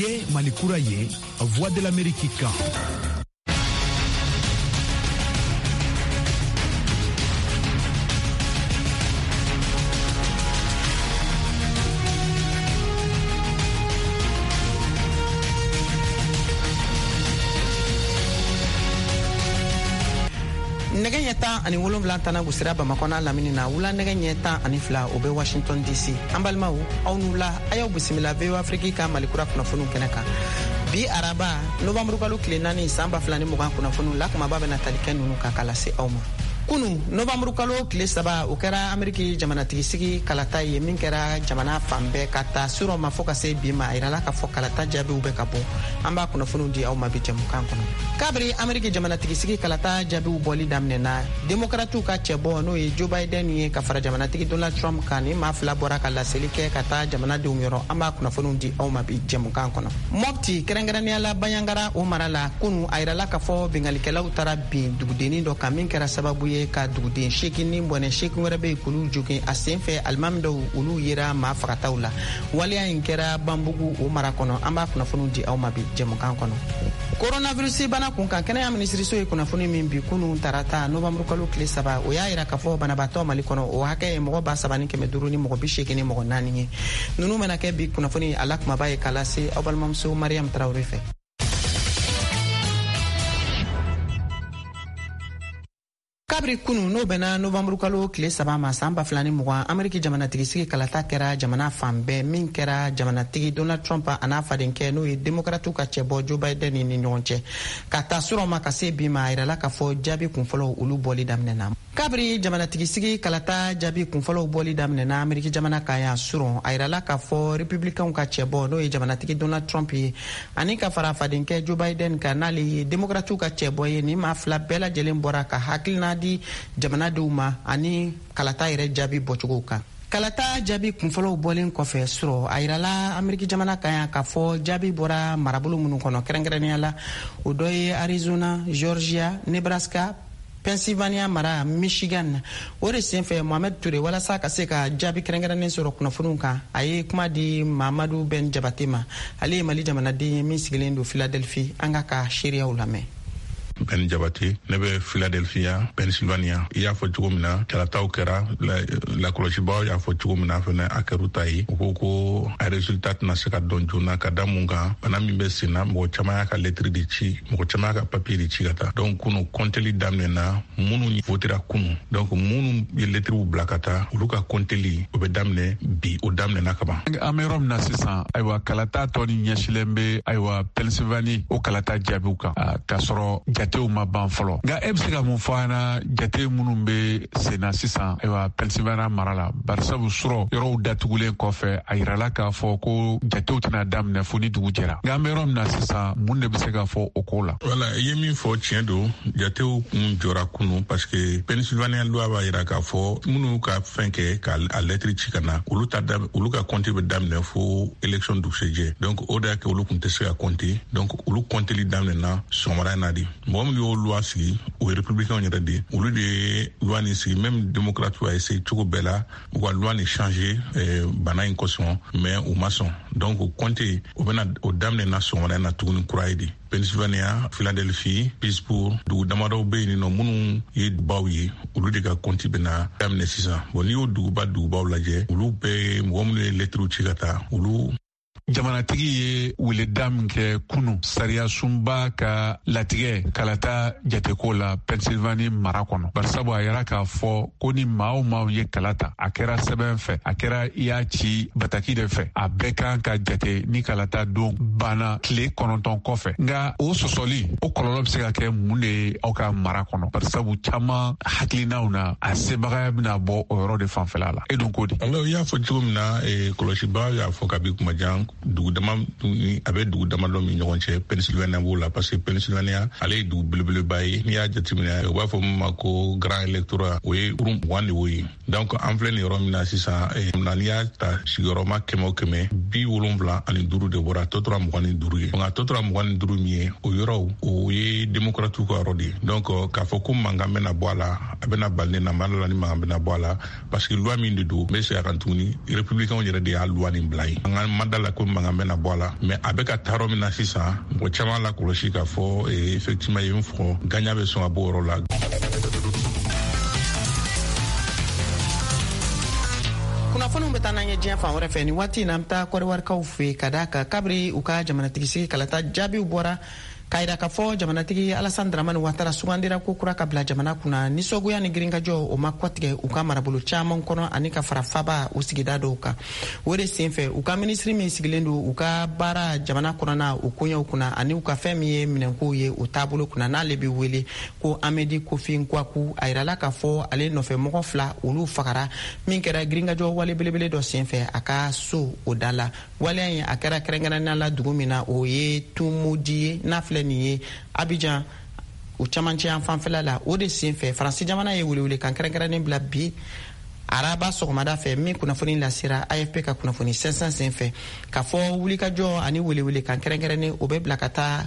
Ye Mali kura ye, Voix de l'Amérique kan. Nɛgɛ ɲɛ 17 tana gosira Bamakɔ n'a lamini na. Wula nɛgɛ ɲɛ 12, o bɛ Washington DC. An balimaw, aw ni wula. A y'aw bisimila VOA Afrique ka Malikura kunnafoniw kɛnɛ kan bi araba, novanburukalo tile 4, san 2020. Kunnafoniw la kumaba bɛna tali kɛ nunu kan ka lase aw ma. Kunu, novanburukalo tile 3, o kɛra Ameriki jamanatigisigi kalata ye min kɛra jamana fan bɛɛ ka ta surɔ ma fɔɔ ka se bi ma. A yirala k'a fɔ kalata jaabiw bɛ ka bɔ. An b'a kunnafoniw di aw ma bi jɛmukan kɔnɔ. Kabiri Ameriki jamanatigisigi kalata jaabiw bɔli daminɛna, Demokratiw ka cɛbɔ, n'o ye Joe Biden ye, ka fara jamanatigi Donald Trump kan, ni maa fila bɔra ka laseli kɛ ka taa jamanadenw yɔrɔ. An b'a kunnafoniw di aw ma bi jɛmukan kɔnɔ. Mɔpti, kɛrɛnkɛrɛnnenya la Baɲangara, o mara la, kunu a yirala k'a fɔ bingalikɛlaw taara bin dugudennin dɔ kan, min kɛra sababu ye ka duguden 8 ni bɔnɛ, 8 wɛrɛ bɛ yen k'olu jogin. A sen fɛ, alimami dɔw, olu yera maa fagataw la. Waleya in kɛra Banbugu, o mara kɔnɔ. An b'a kunnafoniw di aw ma bi jɛmukan kɔnɔ. Coronavirus bana kun kan, kɛnɛya minisiriso ye kunnafoni min bi kunu tarata, novanburukalo tile 3, o y'a yira k'a fɔ banabaatɔ Mali kɔnɔ, o hakɛ ye mɔgɔ 3584 ye. Nunu bɛna kɛ bi kunnafoni a la kumaba ye k'a lase aw balimamuso Mariam Tarawele fɛ. Kabiri kunu, n'o bɛnna novanburukalo tile 3 ma, san 2020, Ameriki jamanatigisigi kalata kɛra jamana fan bɛɛ, min kɛra jamanatigi Donald Trump a n'a fadenkɛ, n'o ye Demokratiw ka cɛbɔ Joe Biden, ni ɲɔgɔn cɛ. Ka ta surɔ ma ka se bi ma, a yirala k'a fɔ jaabi kunfɔlɔw, olu bɔli daminɛna. Kabiri jamanatigisigi kalata jaabi kunfɔlɔw bɔli daminɛna Ameriki jamana kan yan surɔ, a yirala k'a fɔ Republicainw ka cɛbɔ, n'o ye jamanatigi Donald Trump ye, ani ka fara fadenkɛ Joe Biden kan, n'ale ye Demokratiw ka cɛbɔ ye, ni maa fila bɛɛ lajɛlen bɔra ka hakilina di jamanadenw ma ani kalata yɛrɛ jaabi bɔcogow kan. Kalata jaabi kunfɔlɔw bɔlen kɔfɛ surɔ, a yirala Ameriki jamana kan yan k'a fɔ jaabi bɔra marabolo minnu kɔnɔ, kɛrɛnkɛrɛnnenya la o dɔ ye Arizona, Georgia, Nebraska, Pennsylvania mara, Michigan. O de senfɛ, Mohamed Toure, walasa ka se ka jaabi kɛrɛnkɛrɛnnen sɔrɔ kunnafoniw kan, a ye kuma di Mamadu Ben Jabate ma. Ale ye Mali jamanaden ye min sigilen don Philadelphie. An ka seereyaw lamɛn. Ben Jabate, ne bɛ Philadelphia, Pennsylvania. I y'a fɔ cogo min na, kalataw kɛra, lakɔlɔsibaw y'a fɔ cogo min na fɛnɛ, a kɛr'u ta ye. U ko ko a résultat tɛna se ka dɔn joona, ka da mun kan? Bana min bɛ sen na, mɔgɔ caman y'a ka lettre de ci, mɔgɔ caman y'a ka papier de ci ka taa. Donc kunu kɔnteli daminɛna. Minnu votera kunu, donc minnu ye lettres bila ka taa, olu ka kɔnteli, o bɛ daminɛ bi, o daminɛna ka ban. An bɛ yɔrɔ min na sisan, ayiwa, kalata tɔ ni ɲɛsilen bɛ, ayiwa, Pennsylvanie, o kalata jaabiw kan, k'a sɔrɔ jatew ma ban fɔlɔ. Nka e bɛ se ka mun fɔ an na jate minnu bɛ sen na sisan, ayiwa, Pennsylvanie mara la? Barisabu surɔ yɔrɔw datugulen kɔfɛ, a yirala k'a fɔ ko jatew tɛna daminɛ fo ni dugu jɛra. Nka an bɛ yɔrɔ min na sisan, mun de bɛ se ka fɔ o ko la? Wala, i ye min fɔ, tiɲɛ don. Jatew kun jɔra kunu parce que Pennsylvania loi b'a yira k'a fɔ minnu ka fɛn kɛ ka a lɛtiri ci ka na, olu ta, olu ka compte bɛ daminɛ fo élection dugusɛjɛ. Donc o de y'a kɛ olu kun tɛ se ka compter. Donc olu compteli daminɛna sɔgɔmada in na de. Mɔgɔ minnu y'o loi sigi, o ye républicain yɛrɛ de, olu de ye loi nin sigi. Même démocrate a essayé cogo bɛɛ la u ka loi nin changer bana in kosɔn, mais u ma sɔn. Donc o compte, o bɛna o daminɛna sɔgɔmada in na tuguni kura ye de. Pennsylvania, Philadelphie, Pittsburgh, dugu damadɔw bɛ yen nɔ minnu ye baw ye, olu de ka kɔnti bɛna daminɛ sisan. Bon, n'i y'o dugubaw lajɛ, olu bɛɛ, mɔgɔ minnu ye lɛtiriw ci ka taa, olu Jamanatigi ye weleda min kɛ kunu, sariyasunba ka latigɛ kalata jateko la Pennsylvanie mara kɔnɔ, barisabu a yira k'a fɔ ko ni maa o maaw ye kala ta, a kɛra sɛbɛn fɛ, a kɛra i y'a ci bataki de fɛ, a bɛɛ kan ka jate ni kalata don banna tile 9 kɔfɛ. Nka o sɔsɔli, o kɔlɔlɔ bɛ se ka kɛ mun de ye aw ka mara kɔnɔ? Barisabu caman hakilinaw na, a sebagaya bɛna bɔ o yɔrɔ de fanfɛla la. E dun ko di? Alors, i y'a fɔ cogo min na, kɔlɔsibaga y'a fɔ kabi kuma jan, dugu dama a bɛ dugu damadɔ min ɲɔgɔn cɛ, Pennsylvania b'o la, parce que Pennsylvania, ale ye dugu belebeleba ye. N'i y'a jateminɛ, u b'a fɔ min ma ko grand électorat, o ye 20 de y'o ye. Donc an filɛ nin yɔrɔ min na sisan na, n'i y'a ta sigiyɔrɔma 100 o 100, 75 de bɔra, tɔ tora 25 ye. Nka tɔ tora 25 min ye, o yɔrɔw, o ye démocrate ka yɔrɔ de ye. Donc k'a fɔ ko mankan bɛna bɔ a la, a bɛna bali ne na ma la ni mankan bɛna bɔ a la, parce que loi min de don, n bɛ segin a kan tuguni, républicain yɛrɛ de y'a loi nin bila yen. An ka ma da la ko mankan bɛna bɔ a la. Mais a bɛ ka taa yɔrɔ min na sisan, mɔgɔ caman la kɔlɔsi k'a fɔ effectivement ye min fɔ, gagnant bɛ sɔn ka bɔ o yɔrɔ la. Kunnafoniw bɛ taa n'an ye diɲɛ fan wɛrɛ fɛ. Nin waati in na, an bɛ taa Kɔdiwarikaw fɛ yen, ka d'a kan kabiri u ka jamanatigisigi kalata jaabiw bɔra k'a yira k'a fɔ jamanatigi Alassane Dramane Ouattara sugandira ko kura ka bila jamana kunna, nisɔngoya ni girinkajɔ o ma kɔtigɛ u ka marabolo caman kɔnɔ ani ka fara faba o sigida dɔw kan. O de senfɛ, u ka minisiri min sigilen don u ka baara jamana kɔnɔna o koɲɛw kunna ani u ka fɛn min ye minɛnkow ye o taabolo kunna, n'ale bɛ wele ko Amedi Kofi Nkwaku, a yirala k'a fɔ ale nɔfɛ mɔgɔ fila olu fagara min kɛra girinkajɔ wale belebele dɔ senfɛ a ka so o da la. Waleya in a kɛra kɛrɛnkɛrɛnnenya la dugu min na, o ye Tumudi ye, n'a filɛ nin ye Abidjan o camancɛ yan fanfɛla la. O de senfɛ, Faransi jamana ye welewelekan kɛrɛnkɛrɛnnen bila bi araba sɔgɔmada fɛ, min kunnafoni lasera AFP ka kunnafoni sɛnsɛn senfɛ, k'a fɔ wulikajɔ ani welewelekan kɛrɛnkɛrɛnnen o bɛ bila ka taa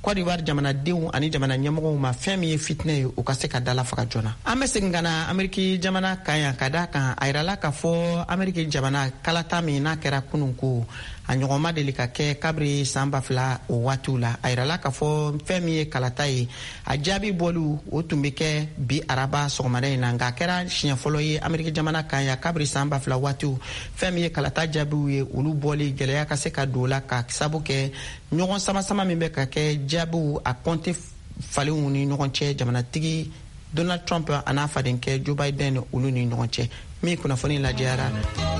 Côte d'Ivoire jamanadenw ani jamana ɲɛmɔgɔw ma, fɛn min ye fitinɛ ye, u ka se ka dala faga joona. An bɛ segin ka na Ameriki jamana kan yan, ka da kan a yirala k'a fɔ Ameriki jamana kalata min n'a kɛra kunun, ko a ɲɔgɔn ma deli ka kɛ kabiri san 2000 o waatiw la. A yirala k'a fɔ fɛn min ye kalata ye, a jaabi bɔliw o tun bɛ kɛ bi araba sɔgɔmada in na, nka a kɛra siɲɛ fɔlɔ ye Ameriki jamana kan yan kabiri san 2000 waatiw, fɛn min ye kalata jaabiw ye, olu bɔli gɛlɛya ka se ka don o la, ka sabu kɛ ɲɔgɔn sama-sama min bɛ ka kɛ jaabiw a kɔnte falenw ni ɲɔgɔn cɛ, jamanatigi Donald Trump a n'a fadenkɛ Joe Biden olu ni ɲɔgɔn cɛ, min kunnafoni lajɛyara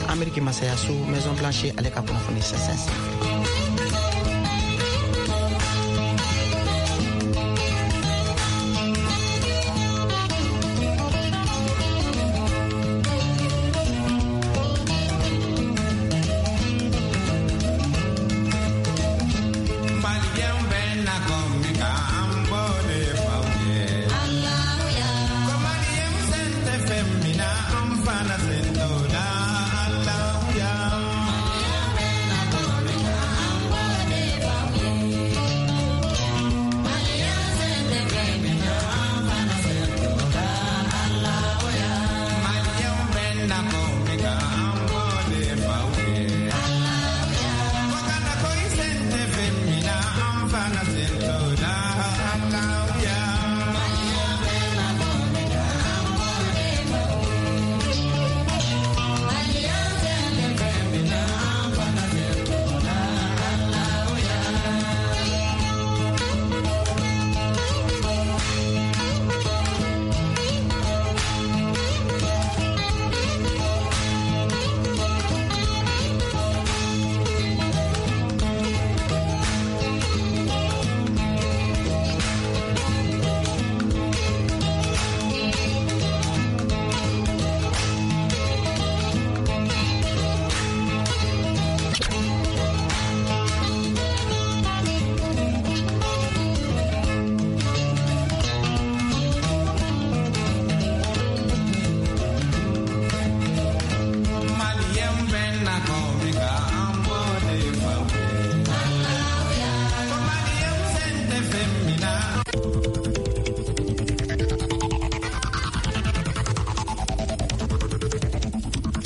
Ameriki masayaso Maison Blanche ale ka kunnafoni sɛnsɛn senfɛ.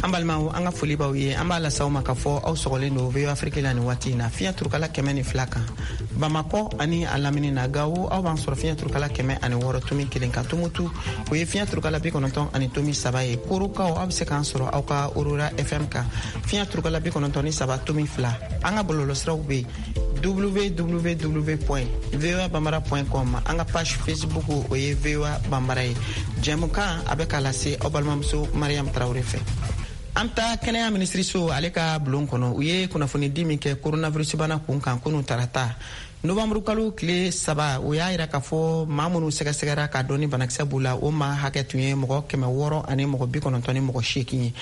An balimaw, an ka foli b'aw ye. An b'a lase aw ma k'a fɔ aw sɔgɔlen don VOA Afrique la nin waati in na, fiɲɛ turukala 102 kan Bamakɔ ani a lamini na. Gawo, aw b'an sɔrɔ fiɲɛ turukala 106.1 kan. Tumutu, o ye fiɲɛ turukala 93 ye. Korokaw, aw bɛ se k'an sɔrɔ aw ka Aurora FM kan, fiɲɛ turukala 93.2. An ka bɔlɔlɔsiraw bɛ yen, www.voabambara.com. An ka page Facebook, o ye VOA Bambara ye. Jɛmukan a bɛ k'a lase aw balimamuso Mariam Tarawele fɛ. An bɛ taa kɛnɛya minisiriso ale ka bulon kɔnɔ. U ye kunnafonidi min kɛ coronavirus bana kun kan kunun tarata novanburu kalo tile 3, o y'a yira k'a fɔ maa minnu sɛgɛsɛgɛra k'a dɔn ni banakisɛ b'u la, o maa hakɛ tun ye mɔgɔ 698 ye.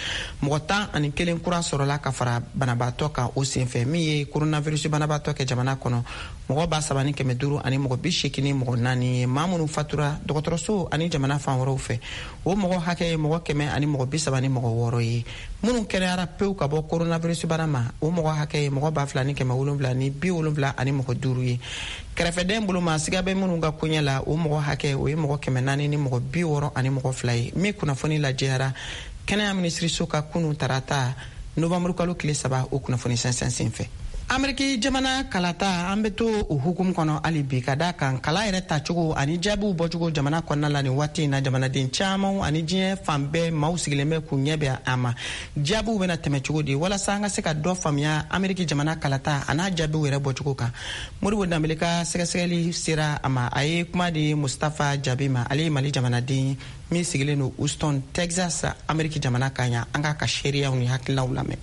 Mɔgɔ 11 kura sɔrɔla ka fara banabaatɔ kan o senfɛ, min ye coronavirus banabaatɔ kɛ jamana kɔnɔ mɔgɔ 3584 ye. Maa minnu fatura dɔgɔtɔrɔso ani jamana fan wɛrɛw fɛ, o mɔgɔ hakɛ ye mɔgɔ 136 ye. Minnu kɛnɛyara pewu ka bɔ coronavirus bana ma, o mɔgɔ hakɛ ye mɔgɔ 2775 ye. Kɛrɛfɛdɛn bolo ma, siga bɛ minnu ka koɲɛ la, o mɔgɔ hakɛ o ye mɔgɔ 462 ye, min kunnafoni lajɛyara kɛnɛya minisiriso ka kunun tarata novanburu kalo tile 3 o kunnafoni sɛnsɛn senfɛ. Ameriki jamana kalata, an bɛ to o hukumu kɔnɔ hali bi, ka da kan kala yɛrɛ tacogo ani jaabiw bɔcogo jamana kɔnɔna la nin waati in na, jamanaden caman ani diɲɛ fan bɛɛ maaw sigilen bɛ k'u ɲɛ bɛ a ma, jaabiw bɛna tɛmɛ cogo di. Walasa an ka se ka dɔ faamuya Ameriki jamana kalata a n'a jaabiw yɛrɛ bɔcogo kan, Modibo Danbele ka sɛgɛsɛgɛli sera a ma. A ye kuma di Mustafa Jabi ma, ale ye Mali jamanaden ye min sigilen don Houston, Texas, Ameriki jamana kan yan. An k'a ka seereyaw ni hakilinaw lamɛn.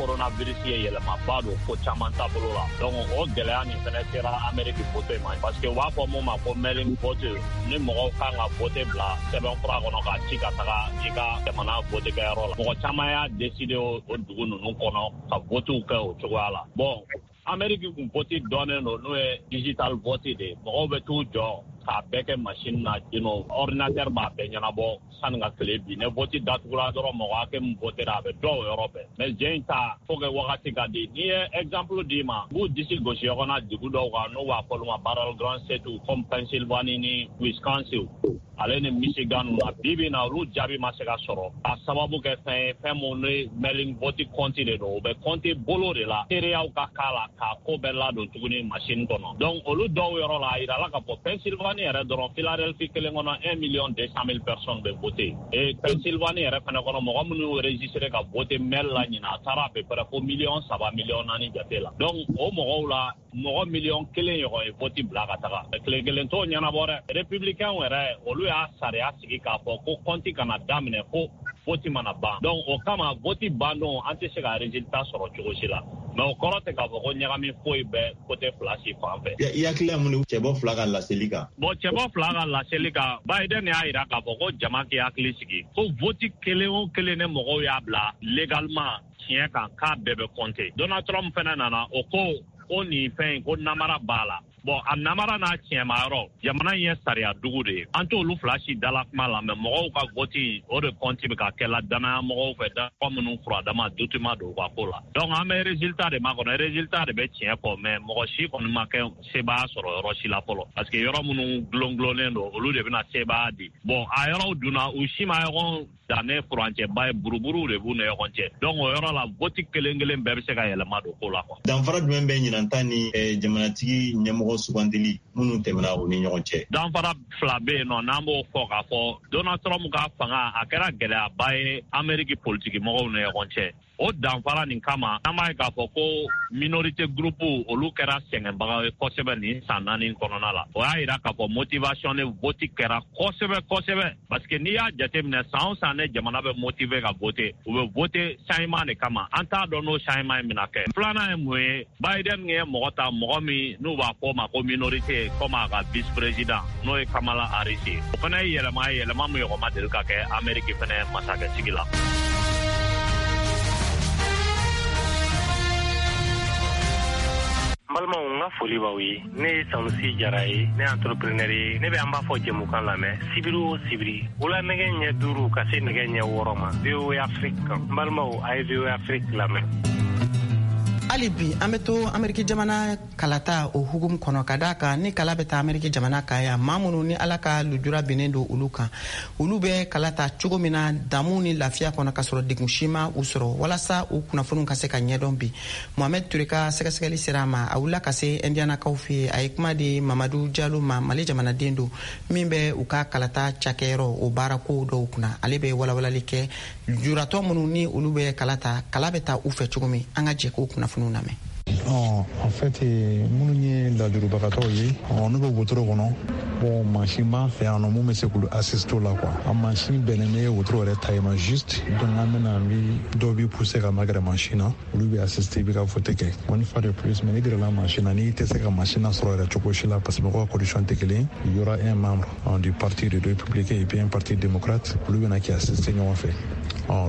Coronavirus ye yɛlɛmaba don ko caman taabolo la. Donc o gɛlɛya nin fɛnɛ sera Ameriki vote ma, parce que u b'a fɔ mun ma ko mail-in vote, ni mɔgɔw kan ka vote bila sɛbɛnfura kɔnɔ k'a ci ka taga i ka jamana vote kɛyɔrɔ la. Mɔgɔ caman y'a décider o dugu ninnu kɔnɔ ka votew kɛ o cogoya la. Bon, Ameriki kun vote dɔnnen don n'o ye digital vote de ye. Mɔgɔw bɛ t'u jɔ k'a bɛɛ kɛ machine na, ordinateur b'a bɛɛ ɲɛnabɔ sani ka tile bi. Ne vote datugura dɔrɔn, mɔgɔ hakɛ min votera, a bɛ dɔn o yɔrɔ bɛɛ. Mais jɛ in ta, faut que wagati ka di. N'i ye exemple d'i ma, u b'u disi gosi ɲɔgɔn na dugu dɔw kan, n'u b'a fɔ olu ma battleground state, comme Pennsylvanie ni Wisconsin ale ni Michigan na. Bi bi na, olu jaabi ma se ka sɔrɔ, a sababu kɛ fɛn ye, fɛn mun ni mail-in vote compte de don, u bɛ compte bolo de la, seereyaw ka k'a la k'a ko bɛɛ ladon tuguni machine kɔnɔ. Donc olu dɔw yɔrɔ la, a yirala k'a fɔ Pennsylvanie yɛrɛ dɔrɔn, Philadelphie kelen kɔnɔ, 1 200 000 personnes bɛ voter. Et Pennsylvanie yɛrɛ fɛnɛ kɔnɔ, mɔgɔ minnu y'u enregistré ka voter mail la ɲinan, a taara à peu près fo miliyɔn 3, miliyɔn 4 jate la. Donc o mɔgɔw la, mɔgɔ miliyɔn 1 ɲɔgɔn ye vote bila ka taga. Tile kelen t'o ɲɛnabɔ dɛ. Républicain yɛrɛ, olu y'a sariya sigi k'a fɔ ko compte kana daminɛ fo vote mana ban. Donc o kama, vote ban don, an tɛ se ka résultat sɔrɔ cogo si la. Mais o kɔrɔ tɛ k'a fɔ ko ɲagami foyi bɛ côté fila si fan fɛ. I hakilila mun de cɛbɔ fila ka laseli kan? Bon, cɛbɔ fila ka laseli kan, Biden y'a yira k'a fɔ ko jama k'i hakili sigi, ko vote kelen o kelen ne mɔgɔw y'a bila légalement tiɲɛ kan, k'a bɛɛ bɛ compter. Donald Trump fɛnɛ nana, o ko nin fɛn in, ko namara b'a la. Bon, a namara n'a tiɲɛma yɔrɔ, jamana in ye sariya dugu de ye, an t'olu fila si dala kuma la. Mɛ mɔgɔw ka vote, o de compte bɛ ka kɛla danaya mɔgɔw fɛ, danaya minnu furadama dutima don u ka ko la. Donc an bɛ résultat de makɔnɔ, résultat de bɛ tiɲɛ fɔ. Mais mɔgɔ si kɔni ma kɛ sebaaya sɔrɔ yɔrɔ si la fɔlɔ, parce que yɔrɔ minnu gulon-gulonnen don, olu de bɛna sebaaya di. Bon, a yɔrɔw dunna, u si ma ɲɔgɔn danne furancɛba ye, buruburuw de b'u ni ɲɔgɔn cɛ. Donc o yɔrɔ la, vote kelen kelen bɛɛ bɛ se ka yɛlɛma don ko la, quoi. Danfara jumɛn bɛ ɲinan ta ni jamanatigi ɲɛmɔgɔ sugandili minnu tɛmɛna u ni ɲɔgɔn cɛ? Danfara fila bɛ yen nɔ, n'an b'o fɔ k'a fɔ Donald Trump ka fanga, a kɛra gɛlɛyaba ye Ameriki politiki mɔgɔw ni ɲɔgɔn cɛ. O danfara nin kama, an b'a ye k'a fɔ ko minorité groupe, olu kɛra sɛgɛnbaga ye kosɛbɛ nin san 4 kɔnɔna la. O y'a yira k'a fɔ motivation de vote kɛra kosɛbɛ kosɛbɛ, parce que n'i y'a jateminɛ, san o san ne jamana bɛ motiver ka voter, u bɛ voter changement de kama. An t'a dɔn n'o changement in bɛna kɛ. Filanan ye mun ye? Biden ye mɔgɔ ta, mɔgɔ min n'u b'a fɔ o ma ko minorité, comme a ka vice président, n'o ye Kamala Harris ye. O fana ye yɛlɛma ye, yɛlɛma min ɲɔgɔn ma deli ka kɛ Amérique fana masakɛsigi la. N balimaw, n ka foli b'aw ye. Ne ye Sanusi Jara ye, ne entrepreneur ye. Ne bɛ an b'a fɔ jɛmukan lamɛn sibiri o sibiri, wula nɛgɛ ɲɛ 5 ka se nɛgɛ ɲɛ 6 ma, VOA Afrique kan. N balimaw, a ye VOA Afrique lamɛn. Hali bi, an bɛ to Ameriki jamana kalata o hukumu kɔnɔ, ka daa kan ni kala bɛ taa Ameriki jamana kan yan, maa minnu ni Ala ka lujura binnen don olu kan, olu bɛ kala ta cogo min na damu ni lafiya kɔnɔ, ka sɔrɔ degun si ma u sɔrɔ, walasa u kunnafoniw ka se ka ɲɛdɔn bi, Mohamɛd Ture ka sɛgɛsɛgɛli sera a ma. A wulila ka se Indianakaw fɛ yen. A ye kuma di Mamadu Jalo ma, Mali jamanaden don min bɛ u ka kalata cakɛyɔrɔ o baarako dɔw kunna. Ale bɛ walawalali kɛ lujuratɔ minnu ni olu bɛ kala ta, kala bɛ ta u fɛ cogo min. An ka jɛ k'o kunnafoniw lamɛn. En fait, minnu ye lajurubagatɔw ye, n'u bɛ wotoro kɔnɔ, bon, mansin b'an fɛ yan nɔ mun bɛ se k'olu assister la, quoi. A mansin bɛnnen bɛ wotoro yɛrɛ ta ma juste. Donc an bɛna, an bi dɔw bi pousser ka magɛrɛ mansin na, olu bɛ assister, i bɛ ka vote kɛ. Une fois de plus, mais n'i gɛrɛla mansin na, n'i tɛ se ka mansin na sɔrɔ yɛrɛ cogo si la, parce que mɔgɔw ka condition tɛ kelen, il y aura un membre du parti de républicain et puis un parti démocrate, olu bɛna k'i assister ɲɔgɔn fɛ.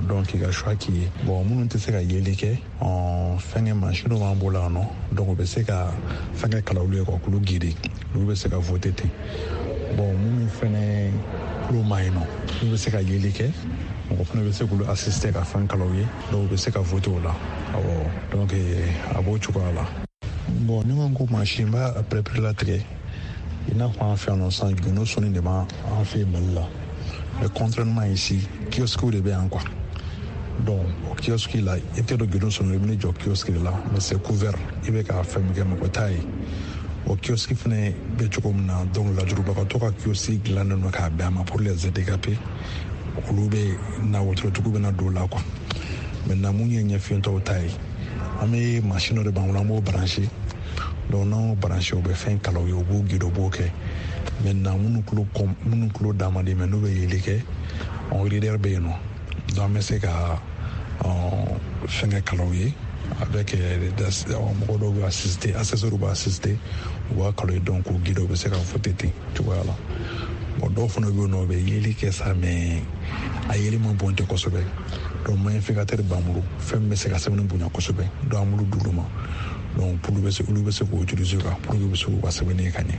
Donc i ka choix k'i ye. Bon, minnu tɛ se ka yeli kɛ, fɛnkɛ mansin dɔ b'an bolo yan nɔ, donc u bɛ se ka fɛnkɛ kala olu ye, quoi, k'olu guider, olu bɛ se ka voter ten. Bon, minnu fɛnɛ tulo ma yen nɔ, n'u bɛ se ka yeli kɛ, mɔgɔ fana bɛ se k'olu assister ka fɛn kala u ye, donc u bɛ se ka voter o la. Awɔ, donc a b'o cogoya la. Bon, ni ko mansin b'a pɛrɛpɛrɛ latigɛ, i n'a fɔ an fɛ yan nɔ sisan, gundo sɔnni de b'an fɛ yen Mali la. Mais contrairement ici, kiosque de bɛ yan quoi. Donc o kiosque la, i tɛ don guidon sɔrɔ, i bɛ jɔ kiosque de la, mais c'est couvert, i bɛ k'a fɛn min kɛ, mɔgɔ t'a ye. O kiosque fɛnɛ bɛ cogo min na, donc lajurubagatɔ ka kiosque dilannen don k'a bɛn a ma pour les handicapés. Olu bɛ na, wotorotigiw bɛ na don o la quoi. Maintenant, mun ye ɲɛfiyentɔw ta ye, an bɛ machine dɔ de b'an bolo, an b'o branché. Donc n'an y'o branché, u bɛ fɛn kalan u ye, u b'u guider, u b'o kɛ. Maintenant, minnu tulo da man di, mais n'u bɛ yeli kɛ, on reader bɛ yen nɔ. Donc an bɛ se ka fɛnkɛ kalan u ye avec mɔgɔ dɔw bɛ assister, assesseurs bɛ assister, u b'a kalan ye, donc k'u guider, u bɛ se ka voter ten cogoya la. Bon, dɔw fana bɛ yen nɔ, u bɛ yeli kɛ sa, mais a yeli man bon tɛ kosɛbɛ. Donc magnificateur b'an bolo, fɛn min bɛ se ka sɛbɛnni bonya kosɛbɛ, donc an b'olu d'olu ma. Donc pour olu bɛ se k'o utiliser quoi, pour que u bɛ se k'u ka sɛbɛnni kɛ ka ɲɛ.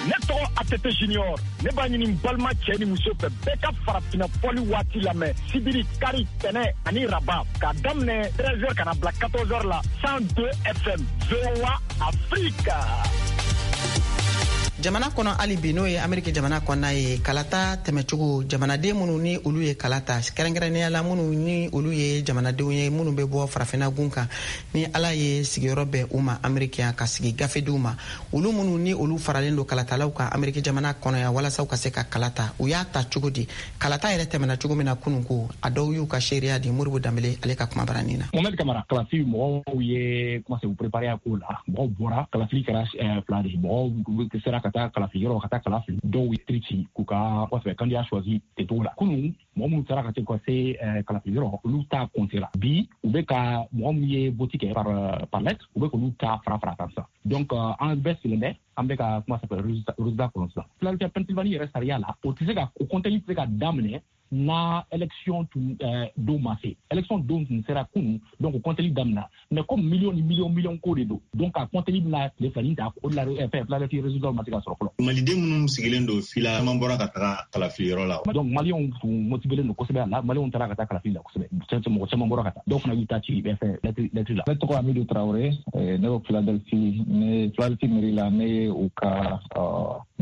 Ne tɔgɔ ATT Junior, ne b'a ɲini n balima cɛ ni muso fɛ, bɛɛ ka farafinna fɔli waati lamɛn sibiri, kari, tɛnɛ ani raba, k'a daminɛ 13h ka na bila 14h la, 102 FM, VOA Afrique. Jamana kɔnɔ hali bi, n'o ye Ameriki jamana kɔnɔna ye, kalata tɛmɛcogo, jamanaden minnu ni olu ye kala ta, kɛrɛnkɛrɛnnenya la minnu ni olu ye jamanadenw ye minnu bɛ bɔ farafinna gun kan, ni Ala ye sigiyɔrɔ bɛn u ma Ameriki yan ka sigi gafe d'u ma, olu minnu ni olu faralen don kalatalaw kan Ameriki jamana kɔnɔ yan walasa u ka se ka kala ta, u y'a ta cogo di? Kalata yɛrɛ tɛmɛna cogo min na kunun ko, a dɔw y'u ka seereya di Moribo Danbele ale ka kumabaranin na. Mohamed Kamara, kalafili mɔgɔw ye commencé u préparer a ko la, mɔgɔw bɔra, kalafili kɛra fila de ye, mɔgɔw sera ka taa kalafili yɔrɔ ka taa kala fili, dɔw ye trici k'u ka kɔfɛ candidat choisi ten cogo la. Kunun mɔgɔ minnu taara ka se ka se kalafili yɔrɔ, olu ta compter la. Bi u bɛ ka mɔgɔ minnu ye vote kɛ par lettre, u bɛ k'olu ta fara fara kan sisan. Donc an bɛɛ sigilen bɛ, an bɛ ka kuma sanfɛ résultat kɔnɔ sisan. Philadelphia, Pennsylvanie yɛrɛ sariya la, o tɛ se ka o compteli tɛ se ka daminɛ na élection tun don ma se. Élection don tun sera kunun, donc o compteli daminɛ, mais comme million ni million million ko de don, donc a compteli bɛna tile filanin ta, o de la fɛn Philadelphie résultat ma se ka sɔrɔ fɔlɔ. Maliden minnu sigilen don fila caman bɔra ka taga kalafili yɔrɔ la. Donc Maliyɛnw tun motivélen don kosɛbɛ a la, Maliyɛnw taara ka taa kalafili la kosɛbɛ, mɔgɔ caman bɔra ka taa, dɔw fana y'u ta ci fɛn lettre la. Ne tɔgɔ Amidu Traoré, ne bɛ Philadelphie, ne Philadelphie mairie la, ne ye u ka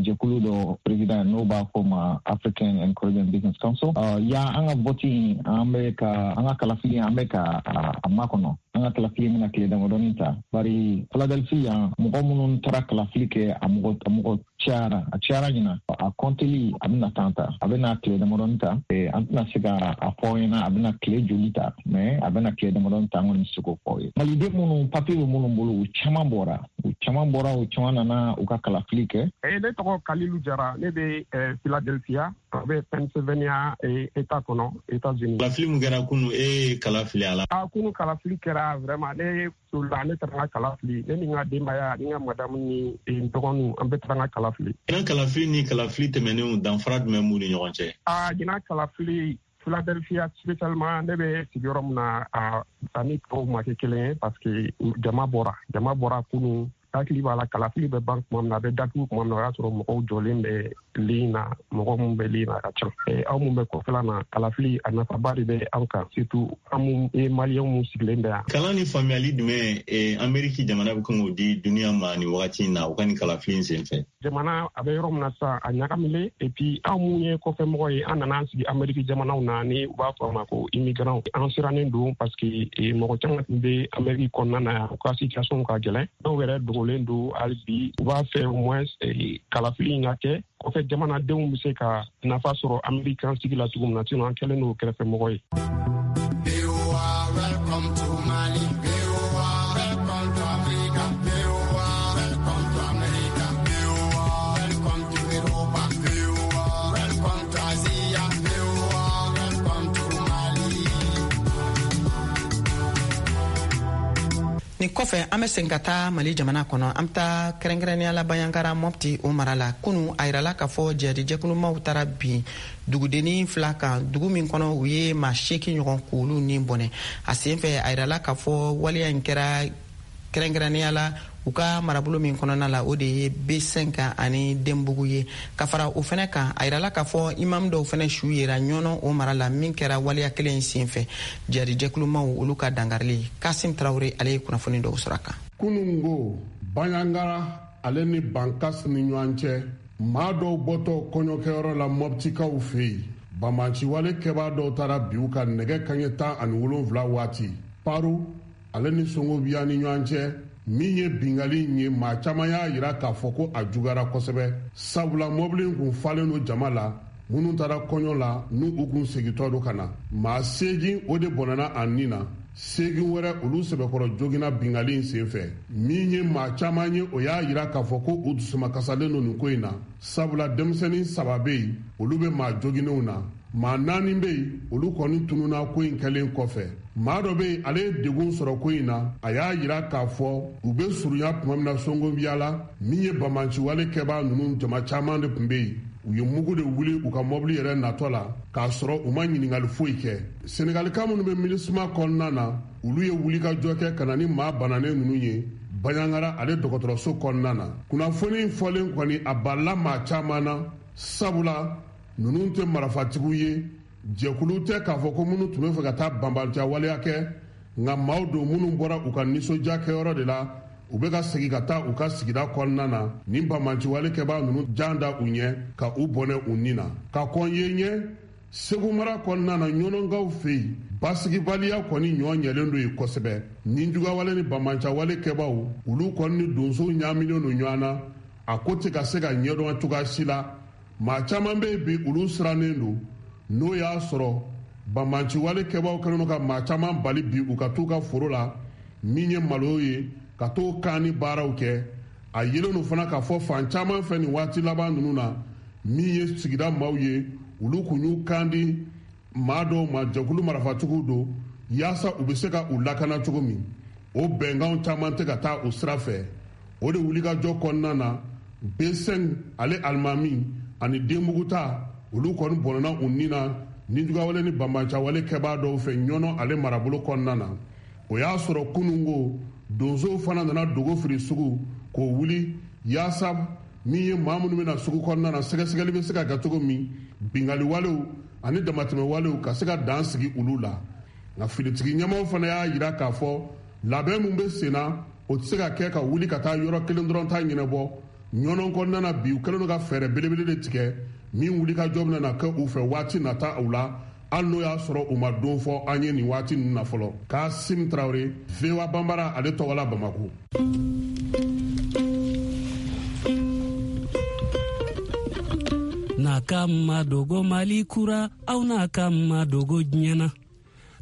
jɛkulu dɔ président, n'o b'a fɔ ma African and Caribbean Business Council. Yan an ka vote, an bɛ ka an ka kalafili, an bɛ ka a makɔnɔ. An ka kalafili bɛna tile damadɔni ta, bari Philadelphie yan, mɔgɔ minnu taara kalafili kɛ, a mɔgɔ cayara, a cayara ɲina. A kɔnteli a bɛna temps ta, a bɛna tile damadɔni ta. An tɛna se ka a fɔ aw ɲɛna a bɛna tile joli ta, mais a bɛna tile damadɔni ta, an kɔni bɛ se k'o fɔ aw ye. Maliden minnu papiye bɛ minnu bolo, u caman bɔra, u caman bɔra, u caman nana u ka kalafili kɛ. Ne tɔgɔ Kalilu Jara, ne bɛ Philadelphia, a bɛ Pennsylvania État kɔnɔ, États-Unis. Kalafili mun kɛra kunu, e ye kala fili a la? A kunu kalafili kɛra, vraiment ne solila, ne taara n ka kala fili, ne ni n ka denbaya, ni n ka madamu ni n dɔgɔninw, an bɛɛ taara n ka kala fili. Ɲinan kalafili ni kalafili tɛmɛnenw, danfara jumɛn b'u ni ɲɔgɔn cɛ? A ɲinan kalafili, Philadelphia spécialement, ne bɛ sigiyɔrɔ min na, a ani tɔw ma kɛ kelen ye, parce que jama bɔra, jama bɔra kunu. Hakili b'a la, kalafili bɛ ban tuma min na, a bɛ datugu tuma min na, o y'a sɔrɔ mɔgɔw jɔlen bɛ ligne na, mɔgɔ minnu bɛ ligne na a ka ca. Aw mun bɛ kɔfɛla na, kalafili a nafaba de bɛ an kan, surtout an mun ye Maliyɛnw mun sigilen bɛ yan. Kalan ni faamuyali jumɛn Ameriki jamana bɛ kan k'o di duniya ma nin wagati in na, u ka nin kalafili in senfɛ? Jamana a bɛ yɔrɔ min na sisan, a ɲagamilen, et puis anw mun ye kɔfɛmɔgɔ ye, an nana an sigi Ameriki jamanaw na, ni u b'a fɔ a ma ko immigrant, an sirannen don, parce que mɔgɔ caman tun bɛ Ameriki kɔnɔna na yan, u ka situation ka gɛlɛn, dɔw yɛrɛ dogolen don hali bi. U b'a fɛ au moins kalafili in ka kɛ, kɔfɛ jamanadenw bɛ se ka nafa sɔrɔ Ameriki sigi la cogo min na, sinon an kɛlen don kɛrɛfɛmɔgɔ ye. Welcome to Mali. Welcome to Africa. Welcome to America. Welcome to Europa. Welcome to Asia. Welcome to Mali. Nin kɔfɛ, an bɛ segin ka taa Mali jamana kɔnɔ, an bɛ taa kɛrɛnkɛrɛnnenya la Banjagara, Mɔpti o mara la. Kunu a yirala k'a fɔ jihadijɛkulumaw taara bin dugudenni fila kan dugu min kɔnɔ, u ye maa 8 ɲɔgɔn k'olu ni bɔnɛ a sen fɛ. A yirala k'a fɔ waleya in kɛra kɛrɛnkɛrɛnnenya la u ka marabolo min kɔnɔna la, o de ye B5 ani Denbugu ye. Ka fara o fɛnɛ kan, a yirala k'a fɔ imam dɔw fɛnɛ su yera Ɲɔnɔ o mara la min kɛra waleya kelen in sen fɛ, jihadijɛkulumaw olu ka dangarili. Kasim Tarawure ale ye kunnafoni dɔw sɔrɔ a kan. Kunungo, Banjagara ale ni Bankas ni ɲɔgɔn cɛ, maa dɔw bɔtɔ kɔɲɔkɛyɔrɔ la Mɔptikaw fɛ yen. Banbaanciwale kɛbaa dɔw taara bin u kan nɛgɛ kaɲɛ 17 waati Paro ale ni Songobiya ni ɲɔgɔn cɛ. Min ye bingali in ye, maa caman y'a yira k'a fɔ ko a juguyara kosɛbɛ, sabula mɔbili in kun falen don jama la minnu taara kɔɲɔ la, n'u u kun segintɔ don ka na. Maa 8 o de bɔnɛna a ni na, 8 wɛrɛ olu sɛbɛkɔrɔ joginna bingali in senfɛ. Min ye maa caman ye, o y'a yira k'a fɔ ko u dusumakasalen don nin ko in na, sabula denmisɛnnin 3 bɛ yen, olu bɛ maa joginnenw na. Maa 4 bɛ yen, olu kɔni tununna ko in kɛlen kɔfɛ. Maa dɔ bɛ yen, ale ye degun sɔrɔ ko in na. A y'a yira k'a fɔ u bɛ surunya tuma min na Songobiya la, min ye banbaanciwale kɛbaa ninnu jama caman de tun bɛ yen. U ye mugu de wuli u ka mɔbili yɛrɛ natɔ la, k'a sɔrɔ u ma ɲininkali foyi kɛ. Senegalika minnu bɛ MINUSMA kɔnɔna na, olu ye wulikajɔ kɛ ka na ni maa bananen ninnu ye Bandiagara ale dɔgɔtɔrɔso kɔnɔna na. Kunnafoni fɔlen kɔni, a balila maa caman na, sabula ninnu tɛ marafatigiw ye, jɛkulu tɛ k'a fɔ ko minnu tun bɛ fɛ ka taa banbaanciya waleya kɛ, nka maaw don minnu bɔra u ka nisɔndiya kɛyɔrɔ de la, u bɛ ka segin ka taa u ka sigida kɔnɔna na. Nin banbaanciwale kɛbaa ninnu jan da u ɲɛ ka u bɔnɛ u ni na. Ka kɔn yen ɲɛ, Segu mara kɔnɔna na, ɲɔnɔnkaw fɛ yen, basigibaliya kɔni ɲɔ ɲɛlen don yen kosɛbɛ. Ninjugawale ni banbaanciwale kɛbaaw, olu kɔni ni donsow ɲaaminen don ɲɔgɔn na. A ko tɛ ka se ka ɲɛdɔn cogoya si la. Maa caman bɛ yen bi, olu sirannen don, n'o y'a sɔrɔ banbaanciwale kɛbaaw kɛlen don ka maa caman bali bi u ka t'u ka foro la, min ye malo ye, ka t'o kan ni baaraw kɛ. A yelen don fana k'a fɔ fan caman fɛ nin waati laban ninnu na, min ye sigida maaw ye, olu kun y'u kan di maa dɔw ma, jɛkulu marafatigiw don, yaasa u bɛ se ka u lakana cogo min. O bɛnkanw caman tɛ ka taa o sira fɛ. O de wulikajɔ kɔnɔna na, B5 ale alimami ani denbuguta, olu kɔni bɔnɛna u ni na nijugawale ni banbaanciwale kɛbaa dɔw fɛ Ɲɔnɔ ale marabolo kɔnɔna na. O y'a sɔrɔ kununko donsow fana nana dogo firi sugu k'o wuli, yaasa min ye maa minnu bɛna sugu kɔnɔna na, sɛgɛsɛgɛli bɛ se ka kɛ cogo min, bingaliwalew ani damatɛmɛwalew ka se ka dan sigi olu la. Nka finitigi ɲɛmaaw fana y'a yira k'a fɔ labɛn min bɛ sen na, o tɛ se ka kɛ ka wuli ka taa yɔrɔ kelen dɔrɔn ta ɲɛnabɔ. Ɲɔnɔ kɔnɔna na bi, u kɛlen don ka fɛɛrɛ belebele de tigɛ min wulikajɔ bɛna na kɛ u fɛ waati nata u la, hali n'o y'a sɔrɔ u ma don fɔ an ye nin waati ninnu na fɔlɔ. Kasim Tarawele, VOA Banbara ale tɔgɔ la Bamako. N'a ka madogo Mali kura, aw n'a ka madogo diɲɛ na.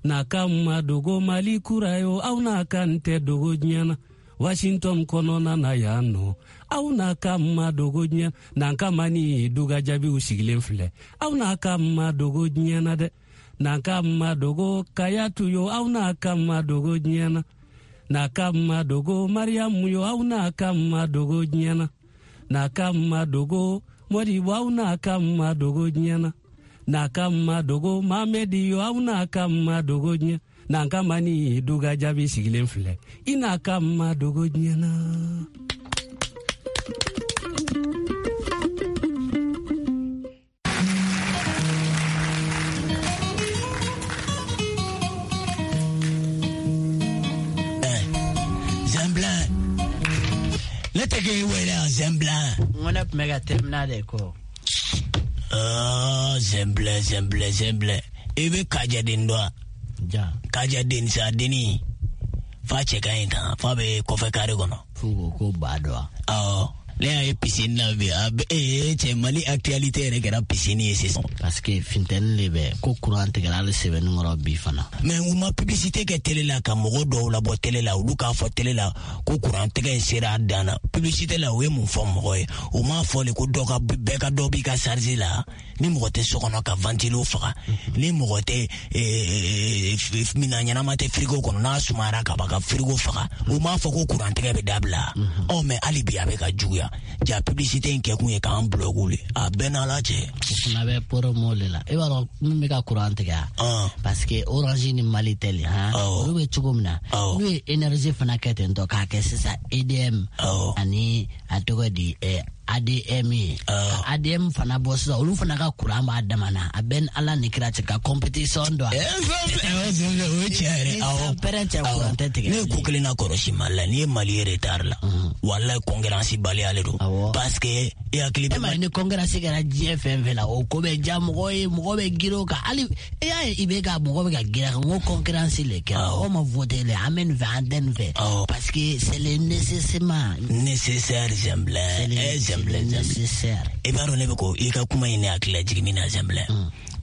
N'a ka madogo Mali kura yo, aw n'a ka n tɛ dogo diɲɛ na. Washington kɔnɔna na yan nɔ, aw n'a ka madogo diɲɛ na. N'an ka mani duga jaabiw sigilen filɛ, aw n'a ka madogo diɲɛ na dɛ. N'an ka madogo Kayatu yo, aw n'a ka madogo diɲɛ na. N'a ka madogo Mariyamu yo, aw n'a ka madogo diɲɛ na. N'a ka madogo Modibo, aw n'a ka madogo diɲɛ na. N'a ka madogo Mamedi yo, aw n'a ka madogo diɲɛ. N'an ka mani duga jaabi sigilen filɛ, i n'a ka madogo diɲɛ na. Zɛnbilan, ne tɛ k'e wele yan Zɛnbilan. N ko ne tun bɛ ka terminal de kɔ. Zɛnbilan, Zɛnbilan, Zɛnbilan, i bɛ Kajaden dɔn wa? Ja. Kajaden sa denni fa cɛ ka ɲi tan, fa bɛ kɔfɛ kare kɔnɔ. F'u ko ko ba dɔn wa? Awɔ. Ne y'a ye piscine na bi, a bɛ ee cɛ, Mali actualité yɛrɛ kɛra piscine ye sisan. Parce que funteni de bɛ ko courant tigɛra hali sɛbɛnni kɔrɔ bi fana. Mais u ma publicité kɛ télé la ka mɔgɔ dɔw labɔ télé la, olu k'a fɔ télé la ko courant tigɛ in sera a dan na. Publicité la u ye mun fɔ mɔgɔ ye? U m'a fɔ de ko dɔ ka bɛɛ ka dɔ b'i ka charge la. Ni mɔgɔ tɛ so kɔnɔ ka ventilo faga, ni mɔgɔ tɛ minan ɲɛnama tɛ frigo kɔnɔ, n'a sumayara ka ban ka frigo faga. U m'a fɔ ko courant tigɛ bɛ dabila. Ɔ mais hali bi a bɛ ka juguya. Ja publicité in kɛkun ye k'an bloquer le. A bɛɛ n'Ala cɛ. O fana bɛ promo de la. I b'a dɔn min bɛ ka courant tigɛ wa? Parce que Orange ni Malitel, han, olu bɛ cogo min na, n'u ye énergie fana kɛ ten tɔ k'a kɛ sisan EDM ani a tɔgɔ di ADM ye. Ka ADM fana bɔ sisan, olu fana ka kuran b'a dama na. A bɛ ni Ala ni kira cɛ ka compétition don. O ye tiɲɛ yɛrɛ. Awɔ. Pɛrɛn cɛ, kuran tɛ tigɛ. Ne ye ko kelen na kɔlɔsi Mali la, n'i ye Mali ye retard la, walayi concurrence baliya le don. Parce que e hakili bɛ. E ma ye ni concurrence kɛra diɲɛ fɛn fɛn la, o ko bɛ diya mɔgɔ ye, mɔgɔ bɛ girin o kan. Hali e y'a ye i bɛ ka mɔgɔ bɛ ka girin a kan, n ko concurrence le kɛra. Mɔgɔ ma voter le, an bɛ nin fɛ, an tɛ nin fɛ. Parce que c'est le nécessairement. Nécessaire Zɛnbilɛ. Zɛnbilɛ. Nécessaire. I b'a dɔn ne bɛ ko i ka kuma in ne hakili lajigin min na Zɛnbilɛ.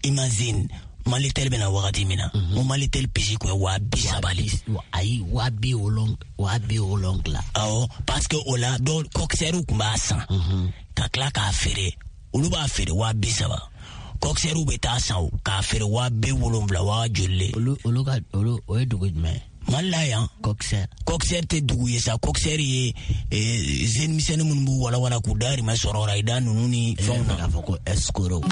Imagine Malitel bɛna wagati min na, o Malitel puce kun ye 30 000 le. Ayi, 70 000, 70 000. Awɔ, parce que o la dɔw coxeur kun b'a san ka tila k'a feere, olu b'a feere 30 000, coxeur bɛ taa san o k'a feere 70 000, waa joli le. Olu ka olu, o ye dugu jumɛn ye? Mali la yan. Coxeur. Coxeur tɛ dugu ye sa, coxeur ye jeune misɛnnin minnu b'u walawala k'u dahirimɛ sɔrɔ rayida ninnu ni fɛnw na. K'a fɔ ko escroc.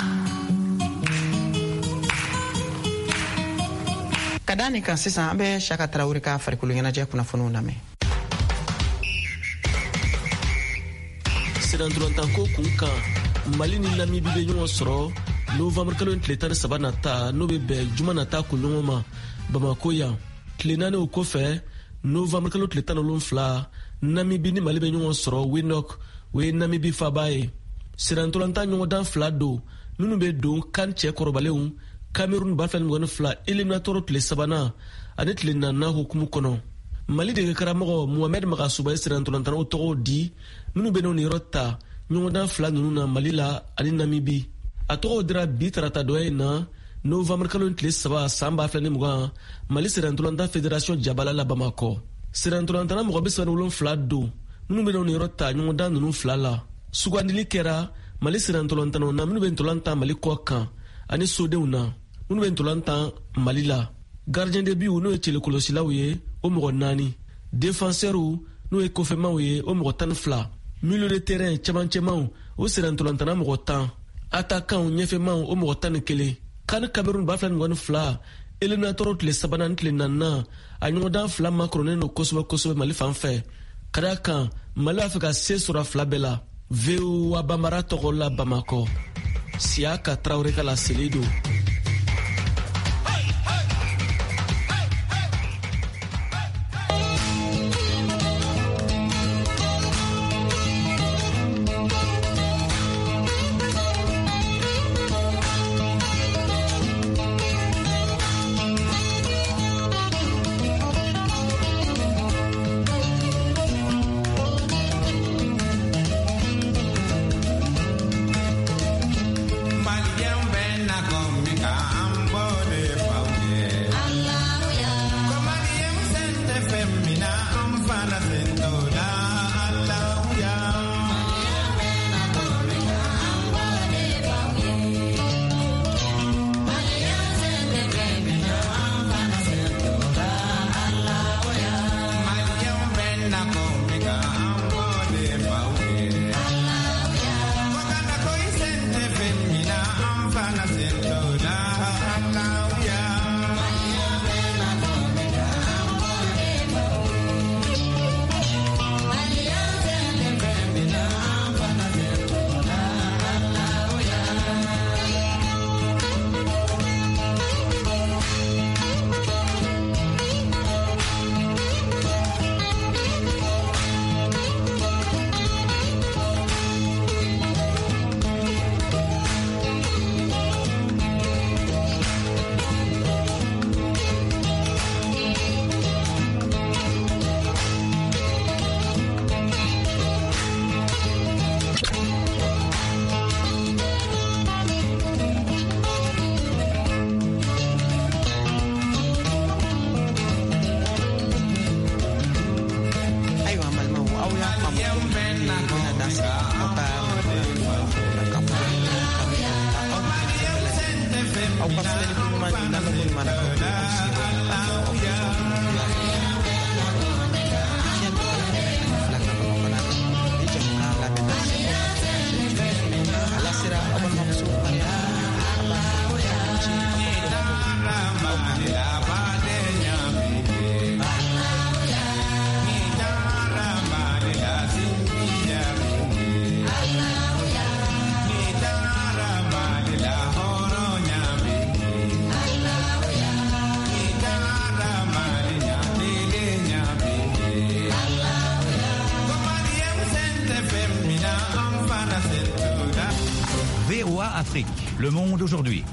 Ka da nin kan sisan, an bɛ Saka Tarawele ka farikolo ɲɛnajɛ kunnafoniw lamɛn. Sennantolatanko kun kan, Mali ni Namibi bɛ ɲɔgɔn sɔrɔ novembre kalo tile 13 nata, n'o bɛ bɛn juma nata kunɲɔgɔn ma, Bamako yan. Tile 4 o kɔfɛ, novembre kalo tile 17, Namibi ni Mali bɛ ɲɔgɔn sɔrɔ Windhoek, o ye Namibi faba ye. Sennantolatan ɲɔgɔndan fila don minnu bɛ don CAN cɛ kɔrɔbalenw Cameroun 2022 éliminatoire tile sabanan ani tile naaninan hukumu kɔnɔ. Mali dege karamɔgɔ Mohamed Magasuba ye sennantolatannaw tɔgɔw di minnu bɛ n'o niyɔrɔ ta ɲɔgɔndan fila ninnu na Mali la ani Namibi. A tɔgɔw dira bi tarata dɔ in na, novembre kalo tile 3 san 2020, Mali sennantolatan fédération jabala la Bamakɔ. Sennantolatanna mɔgɔ 37 don minnu bɛ n'o niyɔrɔ ta ɲɔgɔndan ninnu fila la. Sugandili kɛra Mali sennantolatannaw na minnu bɛ ntolan tan Mali kɔ kan ani sodenw na minnu bɛ ntolan tan Mali la. Gardien de but, n'o ye cɛlikɔlɔsilaw ye, o mɔgɔ 4, défenseurs, n'o ye kɔfɛmaw ye, o mɔgɔ 12, milieu de terrain, cɛmancɛmaw, o sennantolatanna mɔgɔ 10, attaquant, ɲɛfɛmaw, o mɔgɔ 11. CAN Cameroun 2022 éliminatoire tile sabanan ni tile naaninan, a ɲɔgɔndan fila makɔrɔnen don kosɛbɛ kosɛbɛ Mali fan fɛ, ka da kan Mali b'a fɛ ka se sɔrɔ a fila bɛɛ la. VOA Bambara tɔgɔ la Bamakɔ, Siyaka Tarawele ka laseli don. Aw ka filɛli ko ɲuman ni lamɛnko ɲuman na, aw sigiyɔrɔ fiɲɛ 102 ka Bamakɔ la. Ni jamukan labɛnna, a lasera aw balimamuso Mariam. An b'a fɔ aw ni ce aw ka aw kan bɛn. Afrique, Le Monde aujourd'hui.